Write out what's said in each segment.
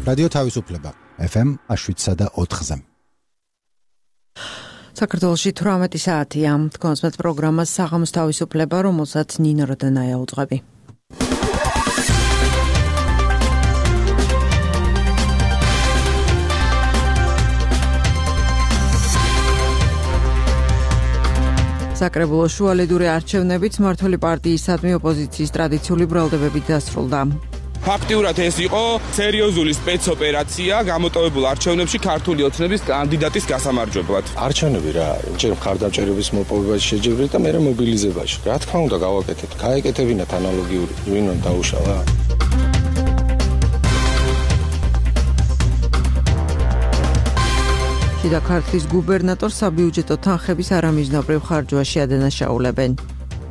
რადიო თავისუფლება FM 7.4-ზე. საქართველოში 18 საათია. კონსპეტ პროგრამას საღამოს თავისუფლება, რომელსაც ნინო როდანაია უძღვები. საკრებულოს შუალედური არჩევნებით მმართველი პარტიისადმი ოპოზიციის ტრადიციული ბრალდებებით დასრულდა. ფაქტიურად ეს იყო სერიოზული სპეცოპერაცია გამოტოვებულ არჩევნებში ქართული ოცნების კანდიდატის გასამარჯვებლად. არჩევნები რა, ჯერ მხარდამჭერების მოპოვებაში შეჯიბრეთ და მერე მობილიზებაში. რა თქმა უნდა გავაკეთეთ, გაეკეთებინათ ანალოგიური, ვინმე დაუშალა. შიდა ქართლის გუბერნატორს საბიუჯეტო თანხების არამიზნობრივ ხარჯვაში ადანაშაულებენ.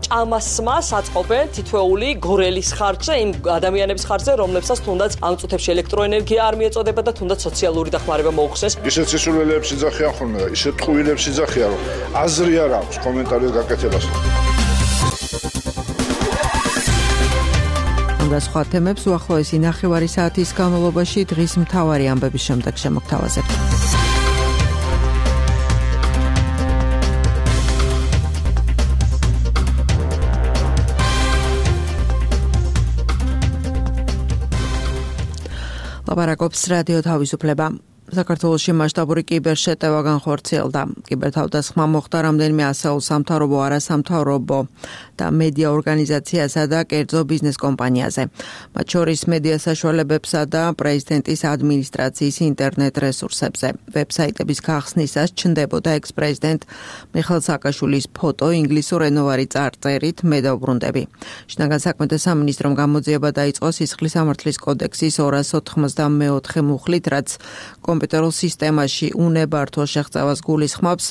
ჭამასმას აწყობენ თითოეული გორელის ხარჯზე, იმ ადამიანების ხარჯზე, რომლებსაც თუნდაც ამ წუთებში ელექტროენერგია არ მიეწოდება და თუნდაც სოციალური დახმარება მოუხსნეს. ისეთ სისულელეებს იძახიან ხოლმე და ისეთ ტყუილებს იძახიან, რომ აზრი არ აქვს კომენტარზე გაკეთებას. და სხვა თემებს უახლოესი ნახევარი საათის განმავლობაში დღის მთავარი ამბების შემდეგ შემოგთავაზებთ. ლაპარაკობს რადიო თავისუფლება. საქართველოში მასშტაბური კიბერშეტევა განხორციელდა. კიბერთავდასხმა მოხდა რამდენიმე ასეულ სამთავრობო, არასამთავრობო და მედია ორგანიზაციასა და კერძო ბიზნეს კომპანიაზე. მათ შორის მედია საშუალებებსა და პრეზიდენტის ადმინისტრაციის ინტერნეტ რესურსებზე. ვებსაიტების გახსნისას ჩნდებოდა ექს-პრეზიდენტ მიხეილ სააკაშვილის ფოტო ინგლისურ ენოვარი წარწერით მე დავბრუნდები. შინაგან საქმეთა სამინისტრომ გამოძიება დაიწყო სისხლის სამართლის კოდექსის 294 მუხლით, რაც კომპიუტერულ სისტემაში უნებართვო შეღწევას გულისხმობს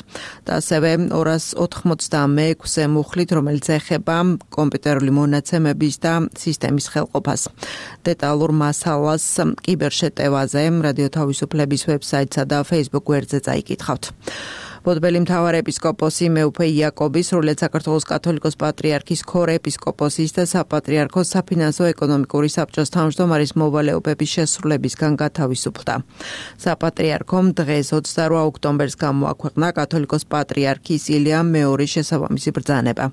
და ასევე 296 მუხლით, რომელიც ეხება კომპიუტერული მონაცემების და სისტემის ხელყოფას. დეტალურ მასალას კიბერშეტევაზე რადიო თავისუფლების ვებსაიტსა და Facebook გვერდზე წაიკითხავთ. ბოდბელი მთავარეპისკოპოსი მეუფე იაკობი, სრულიად საქართველოს კათოლიკოს პატრიარქის ქორეპისკოპოსის და საპატრიარქოს საფინანსო ეკონომიკური საბჭოს თავმჯდომარის მოვალეობების შესრულებისგან გათავისუფლდა. საპატრიარქომ დღეს 28 ოქტომბერს გამოაქვეყნა კათოლიკოს პატრიარქის ილიამ მეორის შესაბამისი ბრძანება.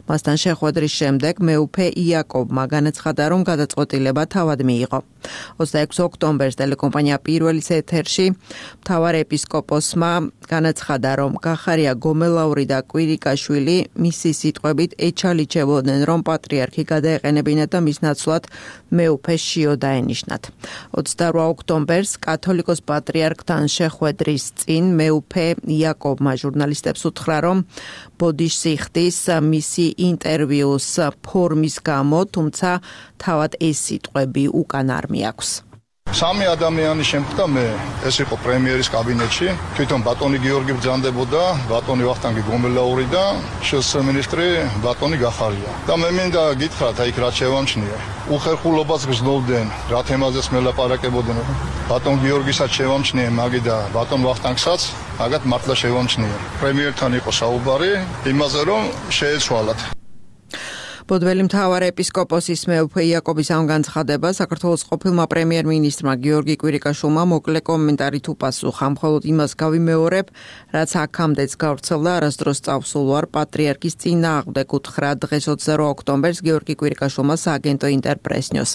მასთან შეხვედრის შემდეგ მეუფე იაკობმა განაცხადა, რომ გადაწყვეტილება თავად მიიღო. 26 ოქტომბერს ტელეკომპანია პირველის ეთერში მთავარეპისკოპოსმა განაცხადა, რომ გახარია გომელაური და კვირიკაშვილი მისი სიტყვებით ეჩალიჩებოდნენ, რომ პატრიარქი გადაეყენებინათ და მის ნაცვლად მეუფეს შიო დაენიშნათ. 28 ოქტომბერს კათოლიკოს პატრიარქთან შეხვედრის წინ მეუფე იაკობმა ჟურნალისტებს უთხრა, რომ ბოდიშსიხტის მისი ინტერვიუს ფორმის გამო, თუმცა თავად ეს სიტყვები უკან არ მიაქვს. სამი ადამიანი შემდგა მე, ეს იყო პრემიერის კაბინეტში, თვითონ ბატონი გიორგი ბრძანდებოდა, ბატონი ვახტანგი გომელაური და ministri ბატონი გახარია. და მე მინდა გითხრათ, აი რა შევამჩნია. უხერხულობას გრძნობდნენ, რა თემაზეც მელაპარაკებოდნენ. ბატონ გიორგისაც შევამჩნიე, მაგი და ბატონ ვახტანგსაც, მაგათ მართლა შევამჩნიე. პრემიერთან იყო საუბარი, იმაზე რომ შეეცვალათ. ბოდბელი მთავარეპისკოპოსის მეუფე იაკობის ამ განცხადებას საქართველოს ყოფილმა პრემიერ-მინისტრმა გიორგი კვირიკაშვილმა მოკლე კომენტარით უპასუხა. მხოლოდ იმას გავიმეორებ, რაც აქამდეც გავრცელდა არასდროს წავსულ ვარ პატრიარქის წინააღმდეგ, უთხრა დღეს 28 ოქტომბერს გიორგი კვირიკაშვილმა სააგენტო ინტერპრესნიოს.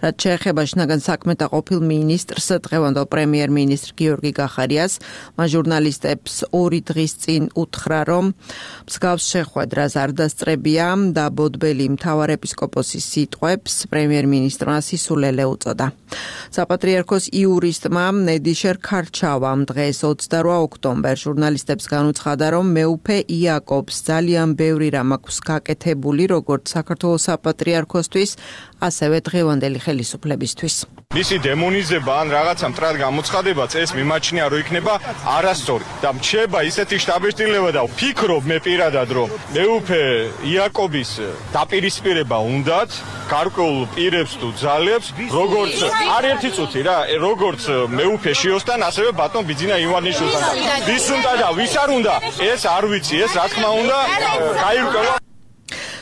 რაც შეეხება შინაგან საქმეთა ყოფილ მინისტრს, დღევანდელ პრემიერ-მინისტრ გიორგი გახარიას, მას ჟურნალისტებს 2 დღის წინ უთხრა, რომ მსგავს შეხვედრას არ დასწრებია და ბოდბელი მთავარეპისკოპოსის სიტყვებს პრემიერ-მინისტრმა სისულელე უწოდა. საპატრიარქოს იურისტმა ნედიშერ ქარჩავამ დღეს 28 ოქტომბერს ჟურნალისტებს განუცხადა, რომ მეუფე იაკობს ძალიან ბევრი რამ აქვს გაკეთებული როგორც საქართველოს საპატრიარქოსთვის, ასევე დღევანდელი ხელისუფლებისთვის. მისი დემონიზება ან რაღაცა მტრად გამოცხადებაც ეს მიმაჩნია, რომ იქნება არასწორი და მრჩება ისეთი შტაბეშტილება და ვფიქრობ მე პირადად, რომ მეუფე იაკობის დაპირისპირება უნდათ გარკვეულ პირებს თუ ძალებს, როგორც არ ერთი წუთი რა, როგორც მეუფე შიოსთან, ასევე ბატონ ბიძინა ივანიშვილთან. ვის უნდა და ვის არ უნდა, ეს არ ვიცი, ეს რა თქმა უნდა გაირკვევა.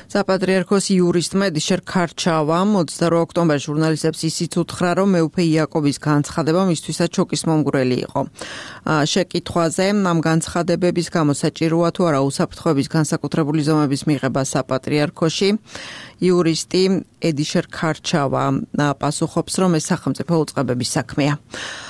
საპატრიარქოს იურისტმა ედიშერ ქარჩავამ 28 ოქტომბერს ჟურნალისტებს ისიც უთხრა, რომ მეუფე იაკობის განცხადება მისთვისაც შოკის მომგვრელი იყო. შეკითხვაზე ამ განცხადებების გამო საჭიროა თუ არა უსაფრთხოების განსაკუთრებული ზომების მიღება საპატრიარქოში, იურისტი ედიშერ ქარჩავა პასუხობს, რომ ეს სახელმწიფო უწყებების საქმეა.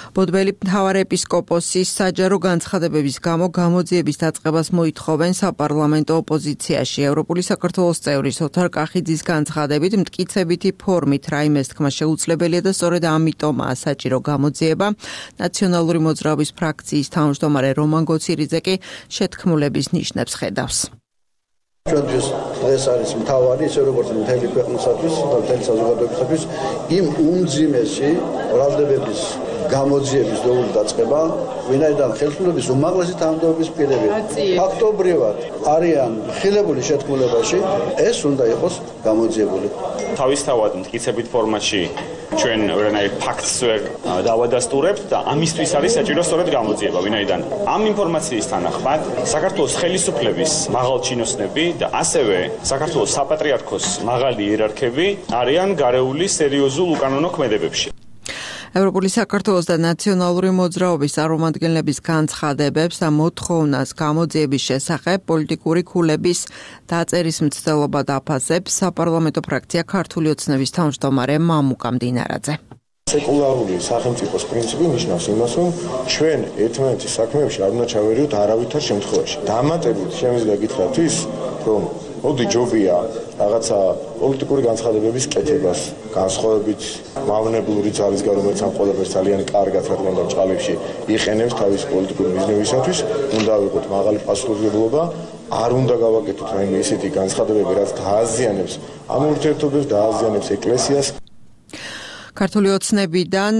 ბოდბელი მთავარეპისკოპოსის საჯარო განცხადებების გამო გამოძიების დაწყებას მოითხოვენ საპარლამენტო ოპოზიციაში. ევროპული საქართველოს წევრის ოთარ კახიძის განცხადებით მტკიცებითი ფორმით რაიმეს თქმა შეუძლებელია და სწორედ ამიტომაა საჭირო გამოძიება. ნაციონალური მოძრაობის ფრაქციის თავმჯდომარე რომან გოცირიძე კი შეთქმულების ნიშნებს ხედავს. ჩვენთვის დღეს არის მთავარი, ისე როგორც მთელი ქვეყნისათვის და მთელი საზოგადოებისათვის იმ უმძიმესი ბრალდებების გამოძიების დოური დაწყება, ვინაიდან ხელისუფლების უმაღლესი თანამდებობის პირები ფაქტობრივად არიან ხილებული შეთქმულებაში, ეს უნდა იყოს გამოძიებული. თავისთავად მტკიცებით ფორმატში ჩვენ ვერანაირ ფაქტს ვერ დავადასტურებთ და ამისთვის არის საჭირო სწორედ გამოძიება, ვინაიდან ამ ინფორმაციის თანახმად საქართველოს ხელისუფლების მაღალჩინოსნები და ასევე საქართველოს საპატრიარქოს მაღალი იერარქები არიან გარეული სერიოზულ უკანონო ქმედებებში. ევროპული საქართველოს და ნაციონალური მოძრაობის წარმომადგენლების განცხადებებს და მოთხოვნას გამოძიების შესახებ პოლიტიკური ქულების დაწერის მცდელობა დაფასებს საპარლამენტო ფრაქცია ქართული ოცნების თავმჯდომარე მამუკა მდინარაძე. სეკულარული სახელმწიფოს პრინციპი ნიშნავს იმას, რომ ჩვენ ერთმანეთის საქმეებში არ უნდა ჩავერიოთ არავითარ შემთხვევაში. დამატებით შემიძლია გითხრათ ის, რომ მოდი ჯობია რაღაცა პოლიტიკური განცხადებების კეთებას, განსხვავებით მავნებლური ძალისგან, რომელიც ამ ყველაფერს ძალიან კარგად რა თქმა უნდა ბრჭყალებში იყენებს თავის პოლიტიკური მიზნებისათვის, უნდა ვიყოთ მაღალი პასუხისმგებლობა, არ უნდა გავაკეთოთ რაიმე ისეთი განცხადებები, რაც დააზიანებს ამ ურთიერთობებს, დააზიანებს ეკლესიას. ქართული ოცნებიდან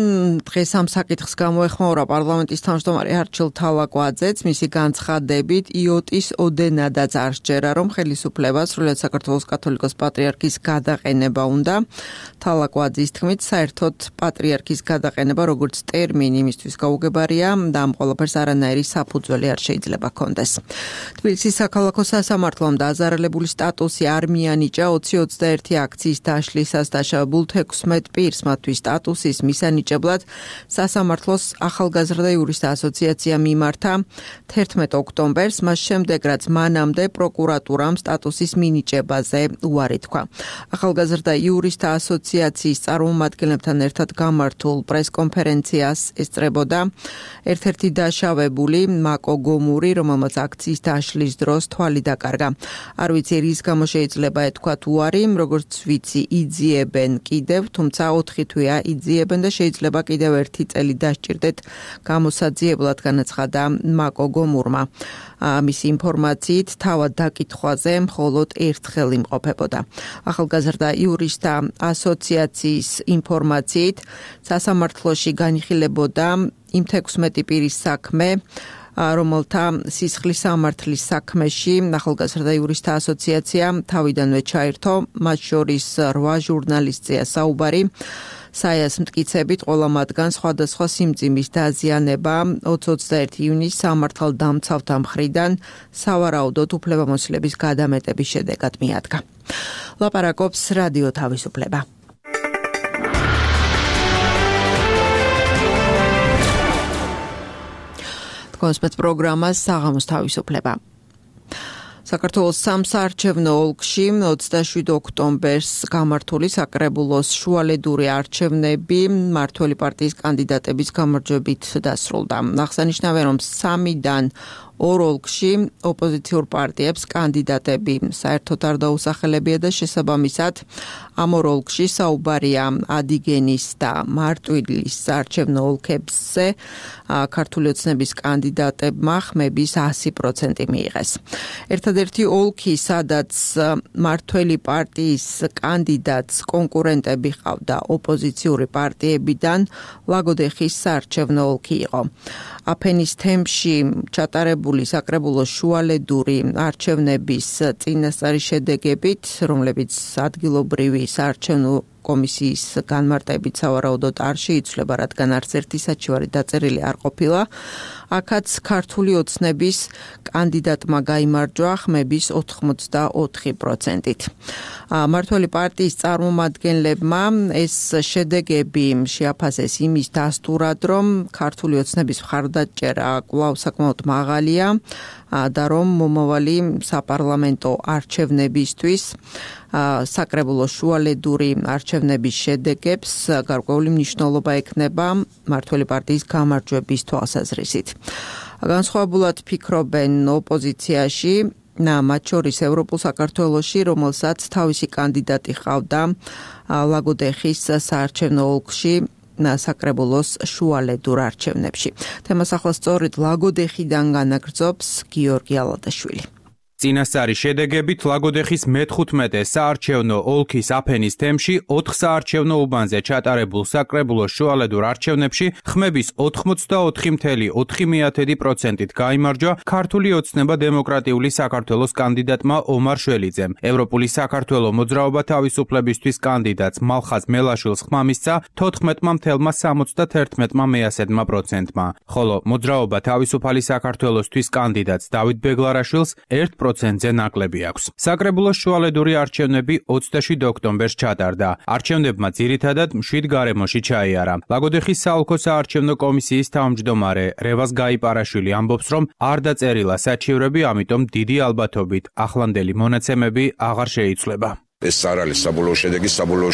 დღეს ამ საკითხს გამოეხმაურა პარლამენტის თავმჯდომარე არჩილ თალაკვაძეც, მისი განცხადებით იოტის ოდენადაც არ სჯერა, რომ ხელისუფლებას სრულად საქართველოს კათოლიკოს პატრიარქის გადაყენება უნდა. თალაკვაძის თქმით, საერთოდ პატრიარქის გადაყენება როგორც ტერმინი იმისთვის გაუგებარია და ამ ყველაფერს არანაირი საფუძველი არ შეიძლება ჰქონდეს. თბილისის საქალაქო სასამართლომ დააზარალებული სტატუსი არ მიანიჭა 2021 აქციის დაშლისას დაშავებულ 16 პირს მათთვის სტატუსის მისანიჭებლად სასამართლოს ახალგაზრდა იურისტთა ასოციაცია მიმართა 11 ოქტომბერს, მას შემდეგ რაც მანამდე პროკურატურამ სტატუსის მინიჭებაზე უარი თქვა. ახალგაზრდა იურისტთა ასოციაციის წარმომადგენლებთან ერთად გამართულ პრესკონფერენციას ესწრებოდა ერთ-ერთი დაშავებული მაკო გომური, რომელმაც აქციის დაშლის დროს თვალი დაკარგა. არ ვიცი რის გამო შეიძლება ეთქვათ უარი, როგორც ვიცი იძიებენ კიდევ, თუმცა 4 თვეა იძიებენ და შეიძლება კიდევ 1 წელი დასჭირდეთ გამოსაძიებლად, განაცხადა მაკო გომურმა. მისი ინფორმაციით თავად დაკითხვაზე მხოლოდ ერთხელ იმყოფებოდა. ახალგაზრდა იურისტთა ასოციაციის ინფორმაციით სასამართლოში განიხილებოდა იმ 16 პირის საქმე, რომელთა სისხლის სამართლის საქმეში ახალგაზრდა იურისტთა ასოციაცია თავიდანვე ჩაერთო, მათ შორის 8 ჟურნალისტია საუბარი. საიას მტკიცებით ყველა მათგან სხვადასხვა სიმძიმის დაზიანება 21 ივნისს სამართალდამცავთა მხრიდან სავარაუდოდ უფლებამოსილების გადამეტების შედეგად მიადგა. ლაპარაკობს რადიო თავისუფლება. კონსპეც პროგრამას საღამოს თავისუფლება. საქართველოს სამსაარჩევნო ოლქში 27 ოქტომბერს გამართული საკრებულოს შუალედური არჩევნები მმართველი პარტიის კანდიდატების გამარჯვებით დასრულდა. აღსანიშნავია, რომ 3-დან 2 ოლქში ოპოზიციურ პარტიებს კანდიდატები საერთოდ არ დაუსახელებია და შესაბამისად ამ 2 ოლქში საუბარია ადიგენის და მარტვილის არჩევნო ოლქებზე ქართული ოცნების კანდიდატებმა ხმების 100% მიიღეს. ერთადერთი ოლქი, სადაც მართველი პარტიის კანდიდატს კონკურენტები ჰყავდა ოპოზიციური პარტიებიდან, ლაგოდეხის საარჩევნო ოლქი იყო. აფენის თემში ჩატარებული საკრებულოს შუალედური არჩევნების წინასწარი შედეგებით, რომლებიც ადგილობრივი საარჩევნო კომისიის განმარტებით სავარაუდოდ არ შეიცვლება, რადგან არც ერთი საჩივარი დაწერილი არ ყოფილა. აქაც ქართული ოცნების კანდიდატმა გაიმარჯვა ხმების 84%-ით. მართველი პარტიის წარმომადგენლებმა ეს შედეგები შეაფასეს იმის დასტურად, რომ ქართული ოცნების მხარდაჭერა კვლავ საკმაოდ მაღალია და რომ მომავალი საპარლამენტო არჩევნებისთვის საკრებულო შუალედური არჩევნების შედეგებს გარკვეული მნიშვნელობა ექნება მართველი პარტიის გამარჯვების თვალსაზრისით. განსხვავებულად ფიქრობენ ოპოზიციაში, მათ შორის ევროპულ საქართველოში, რომელსაც თავისი კანდიდატი ჰყავდა ლაგოდეხის საარჩევნო ოლქში საკრებულოს შუალედურ არჩევნებში. თემას ახლა სწორედ ლაგოდეხიდან განაგრძობს გიორგი ალადაშვილი. წინასწარი შედეგებით ლაგოდეხის მე-15 საარჩევნო ოლქის აფენის თემში 4 საარჩევნო უბანზე ჩატარებულ საკრებულოს შუალედურ არჩევნებში ხმების 84.4%-ით გაიმარჯვა ქართული ოცნება დემოკრატიული საქართველოს კანდიდატმა ომარ შველიძემ. ევროპული საქართველო მოძრაობა თავისუფლებისთვის კანდიდატს მალხაზ მელაშვილს ხმა მისცა 14.71%-მა, ხოლო მოძრაობა თავისუფალი საქართველოსთვის კანდიდატს დავით ბეგლარაშვილს 1%-ზე ნაკლები აქვს. საკრებულოს შუალედური არჩევნები 27 ოქტომბერს ჩატარდა. არჩევნებმა ძირითადად მშვიდ გარემოში ჩაიარა. ლაგოდეხის საოლქო საარჩევნო კომისიის თავმჯდომარე რევაზ გაიპარაშვილი ამბობს, რომ არ დაწერილა საჩივრები, ამიტომ დიდი ალბათობით ახლანდელი მონაცემები აღარ შეიცვლება. ეს არ არის საბოლოო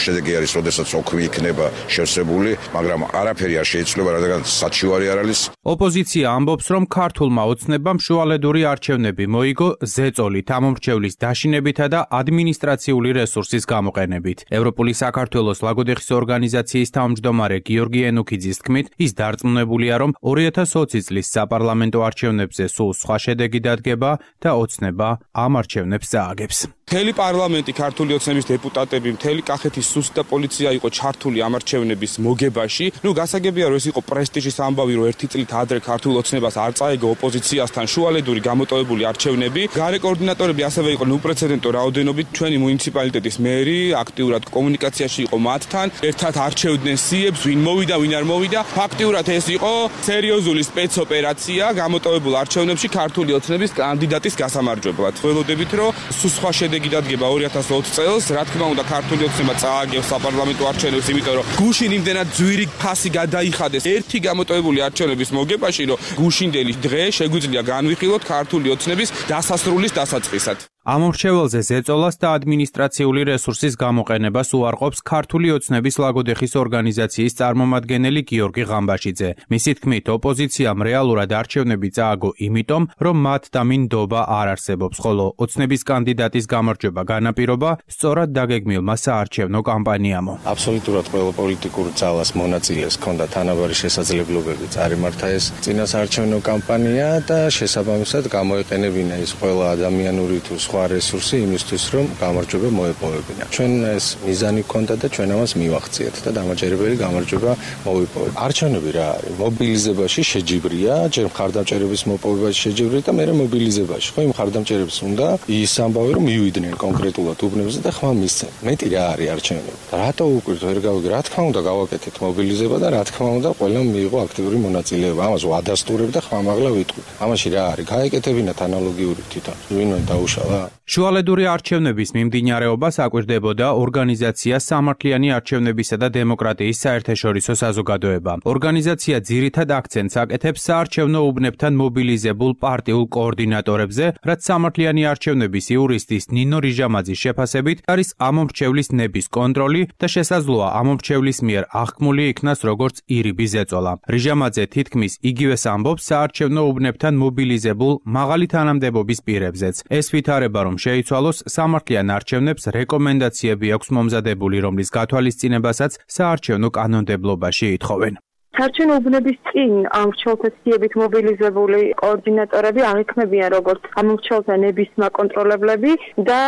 შედეგი არის, როდესაც ოქმი იქნება შევსებული, მაგრამ არაფერი არ შეიცვლება, რადგან საჩივარი არ არის. ოპოზიცია ამბობს, რომ ქართულმა ოცნებამ შუალედური არჩევნები მოიგო ზეწოლით, ამომრჩევლის დაშინებითა და ადმინისტრაციული რესურსის გამოყენებით. ევროპული საქართველოს ლაგოდეხის ორგანიზაციის თავმჯდომარე გიორგი ენუქიძის თქმით, ის დარწმუნებულია, რომ 2020 წლის საპარლამენტო არჩევნებზე სულ სხვა შედეგი დადგება და ოცნება ამ არჩევნებს წააგებს. მთელი პარლამენტი ქართული ოცნების დეპუტატები, მთელი კახეთის სუსტ და პოლიცია იყო ჩართული ამ არჩევნების მოგებაში. გასაგებია, რომ ეს იყო პრესტიჟის ამბავი, რომ ერთი წლით ადრე ქართულ ოცნებას არ წაეგო ოპოზიციასთან შუალედური გამოტოვებული არჩევნები. გარე კოორდინატორები ასევე იყო უპრეცედენტო რაოდენობით, ჩვენი მუნიციპალიტეტის მერი აქტიურად კომუნიკაციაში იყო მათთან, ერთად არჩევდნენ სიებს, ვინ მოვიდა, ვინ არ მოვიდა. ფაქტიურად ეს იყო სერიოზული სპეცოპერაცია გამოტოვებულ არჩევნებში ქართული ოცნების კანდიდატის გასამარჯვებლად. ველოდებით, რომ სხვა შედეგი დადგება 2020 წელს, რა თქმა უნდა, ქართული ოცნება წააგებს საპარლამენტო არჩევნებს, იმიტომ რომ გუშინ იმდენად ძვირი ფასი გადაიხადეს ერთი გამოტოვებული არჩევნების მოგებაში, რომ გუშინდელი დღე შეგვიძლია განვიხილოთ ქართული ოცნების დასასრულის დასაწყისად. ამომრჩეველზე ზეწოლას და ადმინისტრაციული რესურსის გამოყენებას უარყოფს ქართული ოცნების ლაგოდეხის ორგანიზაციის წარმომადგენელი გიორგი ღამბაშიძე. მისი თქმით, ოპოზიციამ რეალურად არჩევნები წააგო იმიტომ, რომ მათ დამინდობა არ არსებობს, ხოლო ოცნების კანდიდატის გამარჯვება განაპირობა სწორად დაგეგმილმა საარჩევნო კამპანიამო. აბსოლუტურად ყველა პოლიტიკურ ძალას მონაწილეს ჰქონდა თანაბარი შესაძლებლობები წარიმართა ეს წინასაარჩევნო კამპანია და შესაბამისად გამოეყენებინა ის ყველა ადამიანური თუ რესურსი იმისთვის, რომ გამარჯვება მოეპოვებინა. ჩვენ ეს მიზანი ჰქონდა და ჩვენ ამას მივახციეთ და დამაჯერებელი გამარჯვება მოვიპოვეთ. არჩევნები რა არის? მობილიზებაში შეჯიბრია, ჯერ მხარდამჭერების მოპოვებაში შეჯიბრია და მერე მობილიზებაში. ხო, იმ მხარდამჭერებს უნდა ის ამბავი, რომ მივიდნენ კონკრეტულად უბნებზე და ხმა მისცენ. მეტი რა არის არჩევნები? რატო უკვირთ ვერ გავიგე? რა თქმა უნდა გავაკეთეთ მობილიზება და რა თქმა უნდა ყველამ მიიღო აქტიური მონაწილეობა. ამას ვადასტურებ და ხმამაღლა ვიტყვი. ამაში რა არის? გაეკეთებინათ ანალოგიური თვითონ. ვინმე დაუშალა? შუალედური არჩევნების მიმდინარეობას აკვირდებოდა ორგანიზაცია სამართლიანი არჩევნებისა და დემოკრატიის საერთაშორისო საზოგადოება. ორგანიზაცია ძირითად აქცენტს აკეთებს საარჩევნო უბნებთან მობილიზებულ პარტიულ კოორდინატორებზე, რაც სამართლიანი არჩევნების იურისტის ნინო რიჟამაძის შეფასებით არის ამომრჩევლის ნების კონტროლი და შესაძლოა ამომრჩევლის მიერ აღქმული იქნას როგორც ირიბი ზეწოლა. რიჟამაძე თითქმის იგივეს ამბობს საარჩევნო უბნებთან მობილიზებულ მაღალი თანამდებობის პირებზეც. ეს ვითარება რომ შეიცვალოს სამართლიან არჩევნებს რეკომენდაციები აქვს მომზადებული, რომლის გათვალისწინებასაც საარჩევნო კანონმდებლობაში ითხოვენ. საარჩევნო უბნების წინ ამ მრჩეველთა სიებით მობილიზებული კოორდინატორები აღიქმებიან როგორც ამ მრჩეველთა ნების მაკონტროლებლები და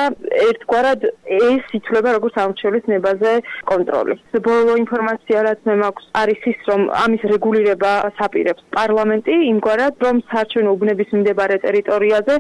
ერთგვარად ეს ითვლება როგორც ამ მრჩეველის ნებაზე კონტროლი. ბოლო ინფორმაცია რაც მე მაქვს არის ის, რომ ამის რეგულირება აპირებს პარლამენტი იმგვარად, რომ საარჩევნო უბნების მდებარე ტერიტორიაზე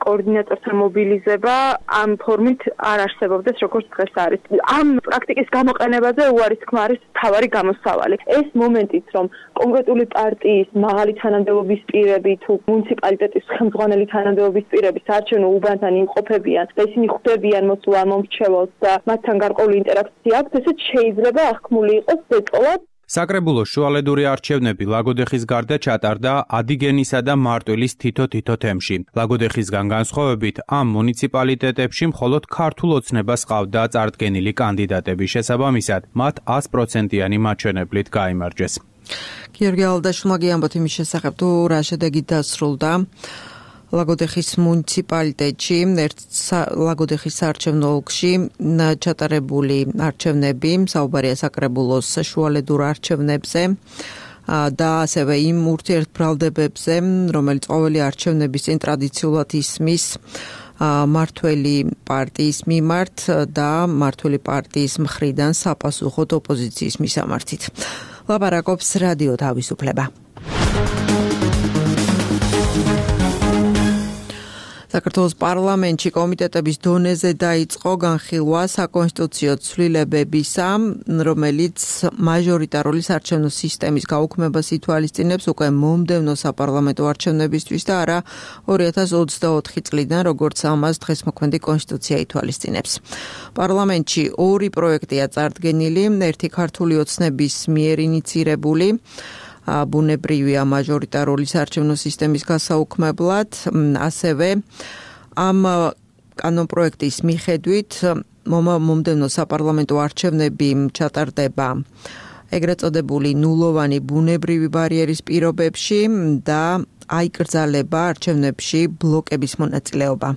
კოორდინატორთა მობილიზება ამ ფორმით არ არსებობდეს, როგორც დღეს არის. ამ პრაქტიკის გამოყენებაზე უარის თქმა არის მთავარი გამოსავალი. ეს მომენტიც, რომ კონკრეტული პარტიის მაღალი თანამდებობის პირები თუ მუნიციპალიტეტის ხელმძღვანელი თანამდებობის პირები საარჩევნო უბანთან იმყოფებიან და ისინი ხვდებიან მოსულ ამ მომრჩეველს და მათთან გარკვეული ინტერაქცია აქვს, ესეც შეიძლება აღქმული იყოს ბეწოლად. საკრებულოს შუალედური არჩევნები ლაგოდეხის გარდა ჩატარდა ადიგენისა და მარტვილის თითო თემში. ლაგოდეხისგან განსხვავებით, ამ მუნიციპალიტეტებში მხოლოდ ქართულ ოცნებას ჰყავდა წარდგენილი კანდიდატები, შესაბამისად, მათ 100%-იანი მაჩვენებლით გაიმარჯვეს. გიორგი ალდაშვილმა გიამბოთ იმის შესახებ, თუ რა შედეგი დასრულდა ლაგოდეხის მუნიციპალიტეტში, ლაგოდეხის საარჩევნო ოლქში ჩატარებული არჩევნები, საუბარია საკრებულოს შუალედურ არჩევნებზე და ასევე იმ ურთიერთბრალდებებზე, რომელიც ყოველი არჩევნების წინ ტრადიციულად ისმის მართველი პარტიის მიმართ და მართველი პარტიის მხრიდან საპასუხოდ ოპოზიციის მისამართით. ლაპარაკობს რადიო თავისუფლება. საქართველოს პარლამენტში კომიტეტების დონეზე დაიწყო განხილვა საკონსტიტუციო ცვლილებებისა, რომელიც მაჟორიტარული საარჩევნო სისტემის გაუქმებას ითვალისწინებს უკვე მომდევნო საპარლამენტო არჩევნებისთვის და არა 2024 წლიდან, როგორც ამას დღეს მოქმედი კონსტიტუცია ითვალისწინებს. პარლამენტში ორი პროექტია წარდგენილი, ერთი ქართული ოცნების მიერ ინიცირებული ბუნებრივია მაჟორიტარული საარჩევნო სისტემის გასაუქმებლად, ასევე ამ კანონპროექტის მიხედვით მომდევნო საპარლამენტო არჩევნები ჩატარდება ეგრეთ წოდებული ნულოვანი ბუნებრივი ბარიერის პირობებში და აიკრძალება არჩევნებში ბლოკების მონაწილეობა.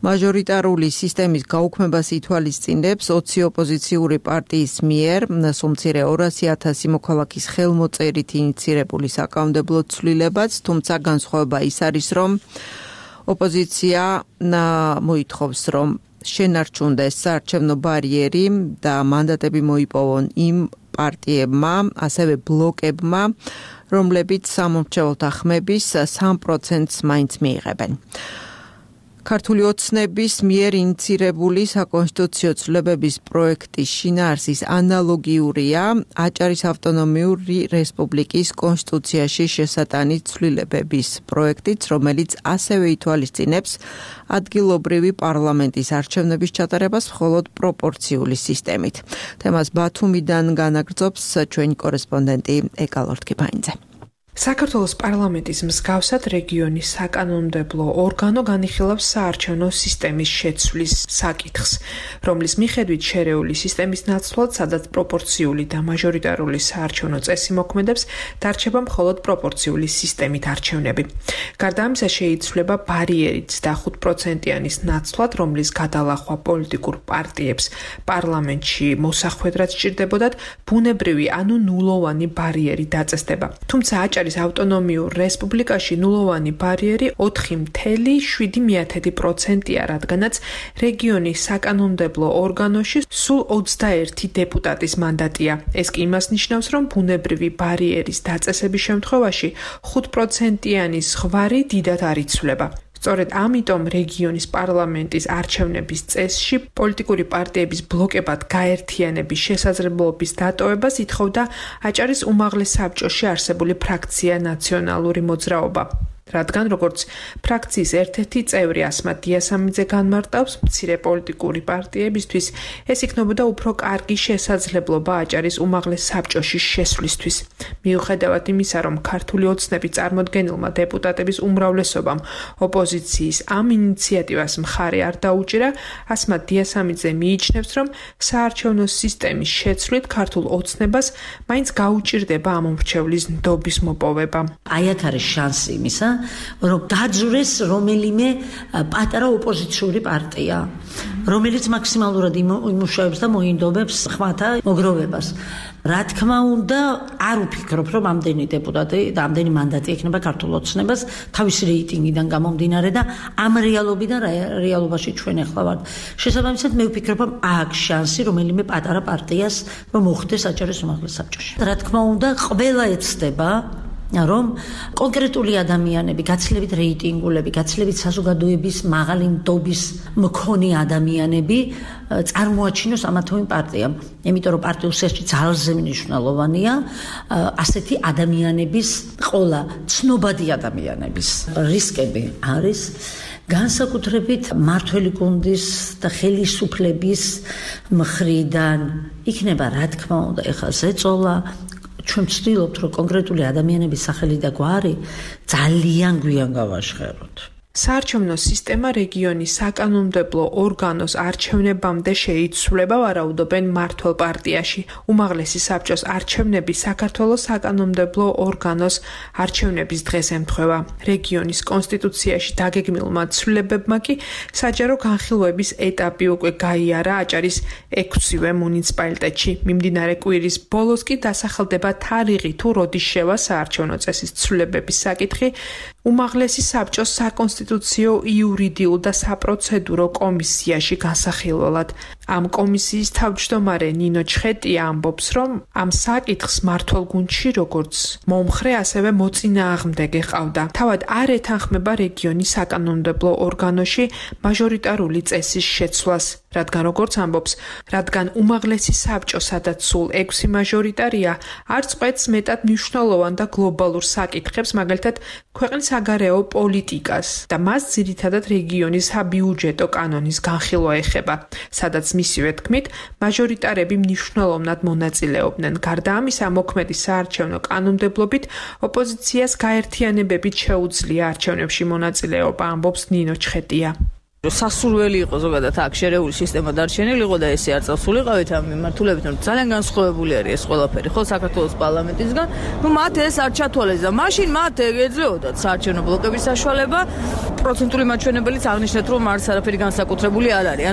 მაჟორიტარული სისტემის გაუქმებას ითვალისწინებს 20 ოპოზიციური პარტიის მიერ სულ მცირე 200,000 მოქალაქის ხელმოწერით ინიცირებული საკანონმდებლო ცვლილებაც, თუმცა განსხვავება ის არის, რომ ოპოზიცია მოითხოვს, რომ შენარჩუნდეს საარჩევნო ბარიერი და მანდატები მოიპოვონ იმ პარტიებმა, ასევე ბლოკებმა, რომლებიც სამომრჩეველთა ხმების 3%-ს მაინც მიიღებენ. ქართული ოცნების მიერ ინიცირებული საკონსტიტუციო ცვლილებების პროექტის შინაარსის ანალოგიურია აჭარის ავტონომიური რესპუბლიკის კონსტიტუციაში შესატანი ცვლილებების პროექტიც, რომელიც ასევე ითვალისწინებს ადგილობრივი პარლამენტის არჩევნების ჩატარებას მხოლოდ პროპორციული სისტემით. თემას ბათუმიდან განაგრძობს ჩვენი კორესპონდენტი ეკალორთქიფაინძე. საქართველოს პარლამენტის მსგავსად რეგიონის საკანონმდებლო ორგანო განიხილავს საარჩევნო სისტემის შეცვლის საკითხს, რომლის მიხედვით შერეული სისტემის ნაცვლად, სადაც პროპორციული და მაჟორიტარული საარჩევნო წესი მოქმედებს, დარჩება მხოლოდ პროპორციული სისტემით არჩევნები. გარდა ამისა, შეიცვლება ბარიერიც და 5%-იანის ნაცვლად, რომლის გადალახვა პოლიტიკურ პარტიებს პარლამენტში მოსახვედრად სჭირდებოდათ, ბუნებრივი ანუ ნულოვანი ბარიერი დაწესდება. თუმცა აჭარის ავტონომიურ რესპუბლიკაში ნულოვანი ბარიერი 4,7%-ია, რადგანაც რეგიონის საკანონმდებლო ორგანოში სულ 21 დეპუტატის მანდატია. ეს კი იმას ნიშნავს, რომ ბუნებრივი ბარიერის დაწესების შემთხვევაში 5%-იანი ზღვარი დიდად არ იცვლება. სწორედ ამიტომ რეგიონის პარლამენტის არჩევნების წესში პოლიტიკური პარტიების ბლოკებად გაერთიანების შესაძლებლობის დატოვებას ითხოვდა აჭარის უმაღლეს საბჭოში არსებული ფრაქცია ნაციონალური მოძრაობა. რადგან როგორც ფრაქციის ერთ-ერთი წევრი ასმათ დიასამიძე განმარტავს, მცირე პოლიტიკური პარტიებისთვის ეს იქნებოდა უფრო კარგი შესაძლებლობა აჭარის უმაღლეს საბჭოში შესვლისთვის. მიუხედავად იმისა, რომ ქართული ოცნების წარმოდგენილმა დეპუტატების უმრავლესობამ ოპოზიციის ამ ინიციატივას მხარი არ დაუჭირა, ასმათ დიასამიძე მიიჩნევს, რომ საარჩევნო სისტემის შეცვლით ქართულ ოცნებას მაინც გაუჭირდება ამ მომრჩევლის ნდობის მოპოვება. აი აქ არის შანსი იმისა, რომ დაძვრეს რომელიმე პატარა ოპოზიციური პარტია, რომელიც მაქსიმალურად იმუშავებს და მოინდომებს ხმათა მოგროვებას. რა თქმა უნდა, არ ვფიქრობ, რომ ამდენი დეპუტატი და ამდენი მანდატი ექნება ქართულ ოცნებას თავისი რეიტინგიდან გამომდინარე და ამ რეალობიდან რეალობაში ჩვენ ახლა ვართ. შესაბამისად, მე ვფიქრობ, რომ აქვს შანსი რომელიმე პატარა პარტიას რომ მოხდეს საჯარო უმაღლეს საბჭოში. რა თქმა უნდა, ყველა ეცდება რომ კონკრეტული ადამიანები, გაცილებით რეიტინგულები, გაცილებით საზოგადოების მაღალი ნდობის მქონე ადამიანები წარმოაჩინოს ამა თუ იმ პარტიამ. იმიტომ რომ პარტიულ სივრცეში ძალზე მნიშვნელოვანია ასეთი ადამიანების ყოლა, ცნობადი ადამიანების რისკები არის განსაკუთრებით მართველი გუნდის და ხელისუფლების მხრიდან იქნება რა თქმა უნდა ეხლა ზეწოლა ჩვენ ვცდილობთ რომ კონკრეტული ადამიანების სახელი და გვარი ძალიან გვიან გავაშხეროთ. საარჩევნო სისტემა რეგიონის საკანონმდებლო ორგანოს არჩევნებამდე შეიცვლება, ვარაუდობენ მმართველ პარტიაში. უმაღლესი საბჭოს არჩევნები საქართველოს საკანონმდებლო ორგანოს არჩევნების დღეს ემთხვევა. რეგიონის კონსტიტუციაში დაგეგმილმა ცვლილებებმა კი საჯარო განხილვების ეტაპი უკვე გაიარა აჭარის 6-ვე მუნიციპალიტეტში. მიმდინარე კვირის ბოლოს კი დასახელდება თარიღი თუ როდის შევა საარჩევნო წესის ცვლილებების საკითხი უმაღლესი საბჭოს საკონსტიტუციო იურიდიულ და საპროცედურო კომისიაში განსახილველად. ამ კომისიის თავმჯდომარე ნინო ჩხეტია ამბობს, რომ ამ საკითხს მმართველ გუნდში როგორც მომხრე, ასევე მოწინააღმდეგე ყავდა. თავად არ ეთანხმება რეგიონის საკანონმდებლო ორგანოში მაჟორიტარული წესის შეცვლას, რადგან როგორც ამბობს, რადგან უმაღლესი საბჭო, სადაც სულ 6 მაჟორიტარია, არც ყვეთს მეტად მნიშვნელოვან და გლობალურ საკითხებს, მაგალითად ქვეყნის საგარეო პოლიტიკას და მას ძირითადად რეგიონის საბიუჯეტო კანონის განხილვა ეხება, სადაც მისივე თქმით, მაჟორიტარები მნიშვნელოვნად მონაწილეობდნენ. გარდა ამისა, მოქმედი საარჩევნო კანონმდებლობით ოპოზიციას გაერთიანებებით შეუძლია არჩევნებში მონაწილეობა, ამბობს ნინო ჩხეტია. სასურველი იყო ზოგადად აქ შერეული სისტემა დარჩენილი იყო და ესე არ წასულიყავით ამ მიმართულებით, რომ ძალიან განსხვავებული არის ეს ყველაფერი, ხო, საქართველოს პარლამენტისგან. მათ ეს არ ჩათვალეს და მაშინ მათ ეძლეოდათ საარჩევნო ბლოკების საშუალება. პროცენტული მაჩვენებელიც აღნიშნეთ, რომ არც არაფერი განსაკუთრებული არ არის.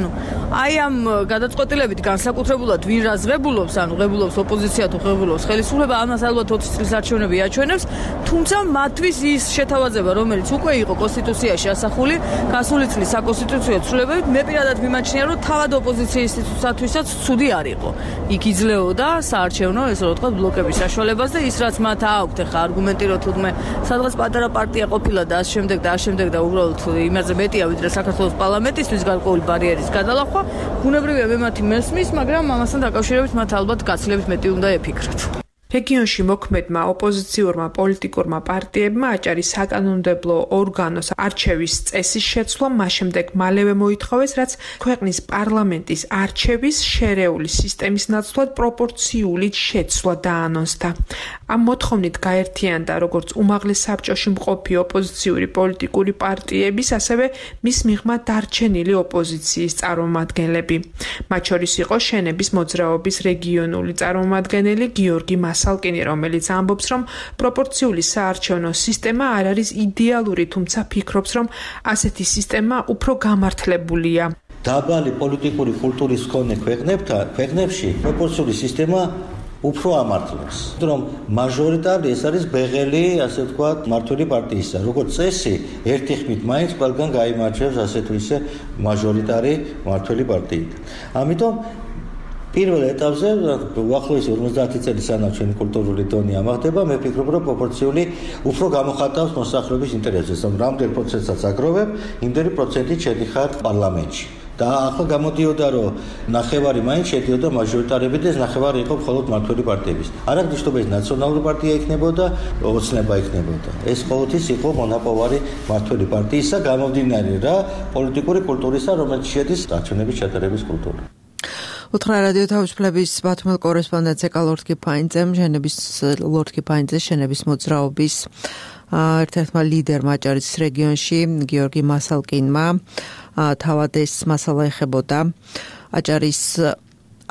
აი ამ გადაწყვეტილებით განსაკუთრებულად ვინ რა ზღებულობს, ღებულობს ოპოზიცია თუ ღებულობს ხელისუფლება, ამას ალბათ 20 წლის არჩევნები აჩვენებს, თუმცა მათთვის ის შეთავაზება, რომელიც უკვე იყო კონსტიტუციაში ასახული, გასული წლის კონსტიტუციო ცვლილებებით, მე პირადად მიმაჩნია, რომ თავად ოპოზიციის ინსტიტუტისათვისაც ცუდი არ იყო. იქ იძლეოდა საარჩევნო, ესე რომ ვთქვათ, ბლოკების საშუალებას და ის რაც მათ აქვთ, ახლა არგუმენტი რომ თუნდაც სადღაც პატარა პარტია ყოფილა და ამ შემდეგ და უბრალოდ იმაზე მეტია, ვიდრე საქართველოს პარლამენტისთვის გარკვეული ბარიერის გადალახვა, ბუნებრივია მე მათი მესმის, მაგრამ ამასთან დაკავშირებით მათ ალბათ გაცილებით მეტი უნდა ეფიქრათ. რეგიონში მოქმედმა ოპოზიციურმა პოლიტიკურმა პარტიებმა აჭარის საკანონმდებლო ორგანოს არჩევის წესის შეცვლა შემდეგ მალევე მოითხოვეს, რაც ქვეყნის პარლამენტის არჩევის შერეული სისტემის ნაცვლად პროპორციული შეცვლა დაანონსდა. ამ მოთხოვნით გაერთიანდა როგორც უმაღლეს საბჭოში მყოფი ოპოზიციური პოლიტიკური პარტიების, ასევე მის მიღმა დარჩენილი ოპოზიციის წარმომადგენლები. მათ შორის იყო შენების მოძრაობის რეგიონული წარმომადგენელი გიორგი მასალკინი, რომელიც ამბობს, რომ პროპორციული საარჩევნო სისტემა არ არის იდეალური, თუმცა ფიქრობს, რომ ასეთი სისტემა უფრო გამართლებულია. დაბალი პოლიტიკური კულტურის მქონე ქვეყნებში პროპორციული სისტემა უფრო ამართლებს, რომ მაჟორიტარი ეს არის ბეღელი, ასე ვთქვათ, მმართველი პარტიისა. როგორც წესი, ერთი ხმით მაინც ყველგან გაიმარჯვებს ასე თუ ისე მაჟორიტარი მმართველი პარტიით. ამიტომ პირველ ეტაპზე, უახლოესი 50 წელი სანამ ჩვენი კულტურული დონე ამაღლდება, მე ვფიქრობ, რომ პროპორციული უფრო გამოხატავს მოსახლეობის ინტერესებს. რამდენ პროცენტსაც აგროვებ, იმდენი პროცენტით შედიხარ პარლამენტში. და ახლა გამოდიოდა, რომ ნახევარი მაინც შედიოდა მაჟორიტარები და ეს ნახევარი იყო მხოლოდ მმართველი პარტიების. არ აღნიშნობა ეს ნაციონალური პარტია იქნებოდა, ოცნება იქნებოდა. ეს ყოველთვის იყო მონაპოვარი მმართველი პარტიისა, გამომდინარე რა პოლიტიკური კულტურისა, რომელიც შედის არჩევნების ჩატარების კულტურა. უთხრა რადიო თავისუფლების ბათუმელ კორესპონდენტს ეკალორთკი ფაინძემ, ლორთკი ფაინძეს შენების მოძრაობის ერთ-ერთმა ლიდერმა აჭარის რეგიონში გიორგი მასალკინმა თავად ეს მასალა ეხებოდა აჭარის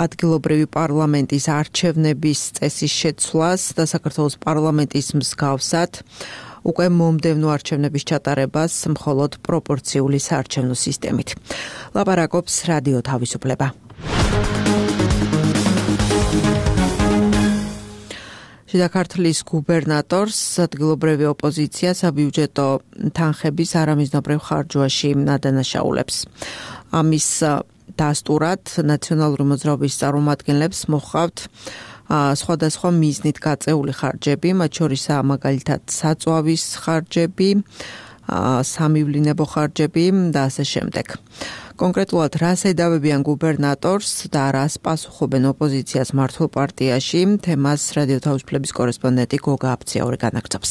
ადგილობრივი პარლამენტის არჩევნების წესის შეცვლას და საქართველოს პარლამენტის მსგავსად უკვე მომდევნო არჩევნების ჩატარებას მხოლოდ პროპორციული საარჩევნო სისტემით. ლაპარაკობს რადიო თავისუფლება. შიდა ქართლის გუბერნატორს ადგილობრივი ოპოზიცია საბიუჯეტო თანხების არამიზნობრივ ხარჯვაში ადანაშაულებს. ამის დასტურად ნაციონალური მოძრაობის წარმომადგენლებს მოჰყავთ სხვადასხვა მიზნით გაწეული ხარჯები, მათ შორისაა მაგალითად საწვავის ხარჯები, სამივლინებო ხარჯები და ასე შემდეგ. კონკრეტულად რას ედავებიან გუბერნატორს და რას პასუხობენ ოპოზიციას მართლ პარტიაში, თემას რადიო თავისუფლების კორესპონდენტი გოგა აფციური განაგრძობს.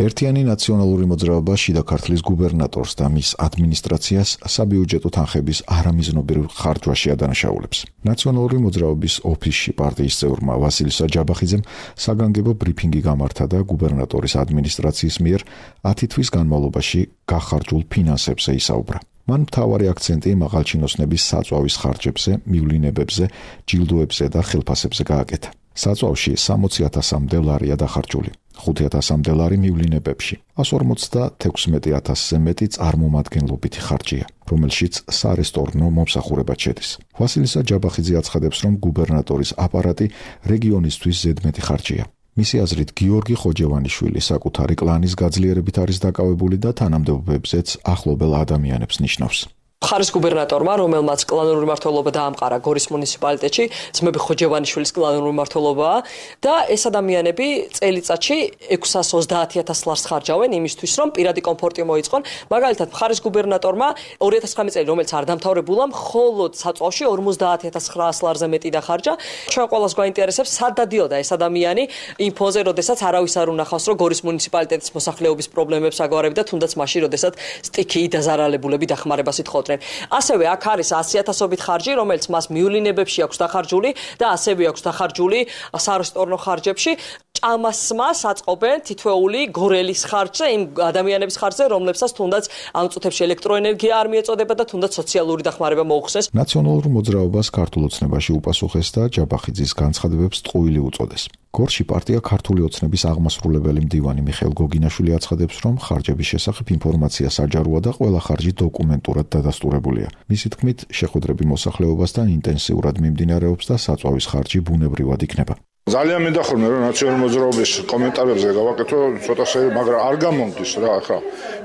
ერთიანი ნაციონალური მოძრაობა შიდა ქართლის გუბერნატორს და მის ადმინისტრაციას საბიუჯეტო თანხების არამიზნობრივ ხარჯვაში ადანაშაულებს. ნაციონალური მოძრაობის ოფისში პარტიის წევრმა ვასილი საჯაბახიძემ საგანგებო ბრიფინგი გამართა და გუბერნატორის ადმინისტრაციის მიერ 10 თვის განმავლობაში გახარჯულ ფინანსებზე ისაუბრა. მან მთავარი აქცენტი მაღალჩინოსნების საწვავის ხარჯებზე, მივლინებებზე, ჯილდოებზე და ხელფასებზე გააკეთა. საწვავში 60,000-მდე ლარია დახარჯული, 5,000-მდე ლარი მივლინებებში, 156,000-ზე მეტი წარმომადგენლობითი ხარჯია, რომელშიც სარესტორნო მომსახურება შედის. ვასილი საჯაბახიძე აცხადებს, რომ გუბერნატორის აპარატი რეგიონისთვის ზედმეტი ხარჯია. მისი აზრით, გიორგი ხოჯევანიშვილი საკუთარი კლანის გაძლიერებით არის დაკავებული და თანამდებობებზეც ახლობელ ადამიანებს ნიშნავს. ხარის გუბერნატორმა, რომელმაც კლანური მმართველობა დაამყარა გორის მუნიციპალიტეტში, ძმები ხოჯევანიშვილის კლანური მმართველობაა და ეს ადამიანები წელიწადში 630,000 ლარს ხარჯავენ იმისთვის, რომ პირადი კომფორტი მოიწყონ. მაგალითად, ხარის გუბერნატორმა 2019 წელი, რომელიც არ დამთავრებულა, მხოლოდ საწვავში 50,900 ლარზე მეტი დახარჯა. ჩვენ ყველას გვაინტერესებს, სად დადიოდა ეს ადამიანი იმ ფონზე, როდესაც არავის არ უნახავს, რომ გორის მუნიციპალიტეტის მოსახლეობის პრობლემებს აგვარებდა, თუნდაც მაშინ, როდესაც სტიქიი დაზარალებულები დახმარებას ითხოვდნენ. ასევე აქ არის 100,000-ობით ხარჯი, რომელიც მას მივლინებებში აქვს დახარჯული და ასევე აქვს დახარჯული სარესტორნო ხარჯებში. ჭამასმას აწყობენ თითოეული გორელის ხარჯზე, იმ ადამიანების ხარჯზე, რომლებსაც თუნდაც ამ წუთებში ელექტროენერგია არ მიეწოდება და თუნდაც სოციალური დახმარება მოუხსნეს. ნაციონალურ მოძრაობას ქართულ ოცნებაში უპასუხეს და ჯაბახიძის განცხადებებს ტყუილი უწოდეს. გორში პარტია ქართული ოცნების აღმასრულებელი მდივანი მიხეილ გოგინაშვილი აცხადებს, რომ ხარჯების შესახებ ინფორმაცია საჯაროა და ყველა ხარჯი დოკუმენტურად დადასტურებულია. მისი თქმით, შეხვედრები მოსახლეობასთან ინტენსიურად მიმდინარეობს და საწვავის ხარჯი ბუნებრივად იქნება. ძალიან მინდა ხოლმე რომ ნაციონალური მოძრაობის კომენტარებზე გავაკეთო ცოტა, მაგრამ არ გამომდის რა ახლა.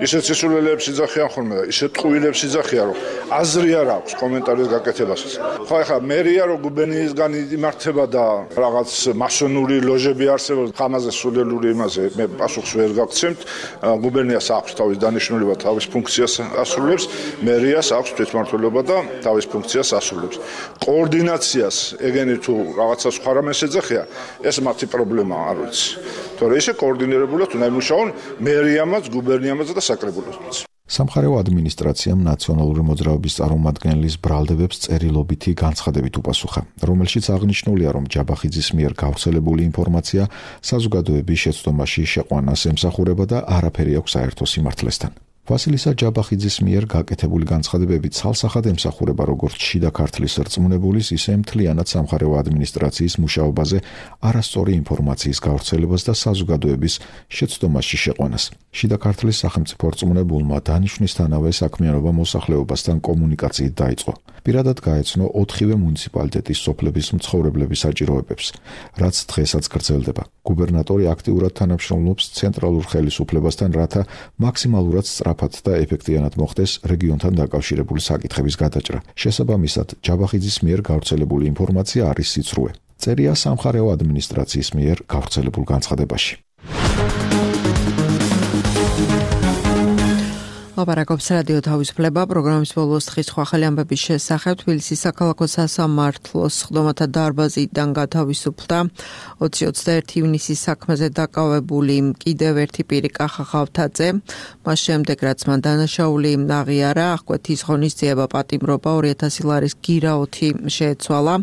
ისეთ სისულელეებს იძახიან ხოლმე და ისეთ ტყუილებს იძახიან, რომ აზრი არ აქვს კომენტარის გაკეთებასაც. ხო ახლა მერია რომ გუბერნიისგან იმართება და რაღაც მასონური ლოჟები არსებობს, ხამაზე სულელური იმაზე მე პასუხს ვერ გაგცემთ. გუბერნიას აქვს თავის დანიშნულება, თავის ფუნქციას ასრულებს, მერიას აქვს თვითმმართველობა და თავის ფუნქციას ასრულებს. კოორდინაციას ეგენი თუ რაღაცა სხვა რამეს ეძახიან, ეს მათი პრობლემაა, არ ვიცი. თორე ისე კოორდინირებულად უნდა იმუშაონ მერიამაც, გუბერნიამაც და საკრებულოსმაც. სამხარეო ადმინისტრაციამ ნაციონალური მოძრაობის წარმომადგენლის ბრალდებებს წერილობითი განცხადებით უპასუხა, რომელშიც აღნიშნულია, რომ ჯაბახიძის მიერ გავრცელებული ინფორმაცია საზოგადოების შეცდომაში შეყვანას ემსახურება და არაფერი აქვს საერთო სიმართლესთან. ვასილი საჯაბახიძის მიერ გაკეთებული განცხადებები ცალსახად ემსახურება როგორც შიდა ქართლის რწმუნებულის, ისე მთლიანად სამხარეო ადმინისტრაციის მუშაობაზე არასწორი ინფორმაციის გავრცელებას და საზოგადოების შეცდომაში შეყვანას. შიდა ქართლის სახელმწიფო რწმუნებულმა დანიშვნისთანავე საქმიანობა მოსახლეობასთან კომუნიკაციით დაიწყო. პირადად გაეცნო 4-ვე მუნიციპალიტეტის სოფლების მცხოვრებლების საჭიროებებს, რაც დღესაც გრძელდება. გუბერნატორი აქტიურად თანამშრომლობს ცენტრალურ ხელისუფლებასთან, რათა მაქსიმალურად სწრაფად და ეფექტიანად მოხდეს რეგიონთან დაკავშირებული საკითხების გადაჭრა. შესაბამისად, ჯაბახიძის მიერ გავრცელებული ინფორმაცია არის სიცრუე. წერია სამხარეო ადმინისტრაციის მიერ გავრცელებულ განცხადებაში. ლაპარაკობს რადიო თავისუფლება, პროგრამის ბოლოს დღის სხვა ახალი ამბების შესახებ. თბილისის საქალაქო სასამართლოს სხდომათა დარბაზიდან გათავისუფლდა 20-21 ივნისის საქმეზე დაკავებული კიდევ ერთი პირი კახა ხავთაძე. მას შემდეგ, რაც მან დანაშაული აღიარა, აღკვეთის ღონისძიება პატიმრობა 2,000 ლარის გირაოთი შეეცვალა.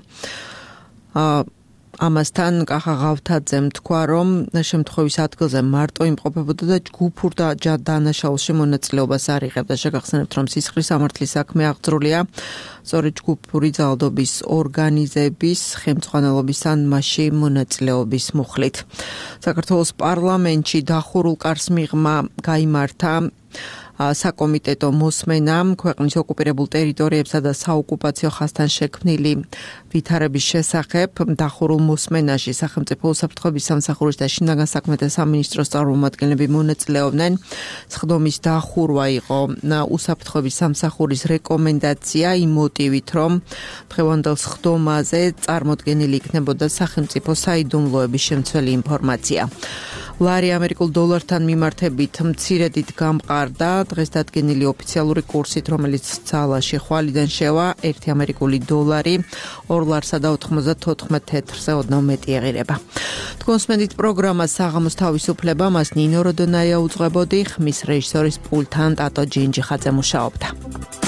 ამასთან კახა ღავთაძემ თქვა, რომ შემთხვევის ადგილზე მარტო იმყოფებოდა და ჯგუფურ და დანაშაულში მონაწილეობას არ იღებდა. შეგახსენებთ, რომ სისხლის სამართლის საქმე აღძრულია სწორედ ჯგუფური ძალადობის ორგანიზების ხელმძღვანელობის ან მასში მონაწილეობის მუხლით. საქართველოს პარლამენტში დახურულ კარს მიღმა გაიმართა საკომიტეტო მოსმენა ქვეყნის ოკუპირებულ ტერიტორიებსა და საოკუპაციო ხაზთან შექმნილი ვითარების შესახებ. დახურულ მოსმენაში სახელმწიფო უსაფრთხოების სამსახურის და შინაგან საქმეთა სამინისტროს წარმომადგენლები მონაწილეობდნენ. სხდომის დახურვა იყო უსაფრთხოების სამსახურის რეკომენდაცია იმ მოტივით, რომ დღევანდელ სხდომაზე წარმოდგენილი იქნებოდა სახელმწიფო საიდუმლოების შემცველი ინფორმაცია. ლარი ამერიკულ დოლართან მიმართებით მცირედით გამყარდა. დღეს დადგენილი ოფიციალური კურსით, რომელიც ძალაში ხვალიდან შევა, 1 ამერიკული დოლარი 2 ლარსა და 94 თეთრზე ოდნავ მეტი ეღირება. თქვენს მედით პროგრამა საღამოს თავისუფლება, მას ნინო როდონაია უძღვებოდი, ხმის რეჟისორის პულტთან ტატო ჯინჯიხაძე მუშაობდა.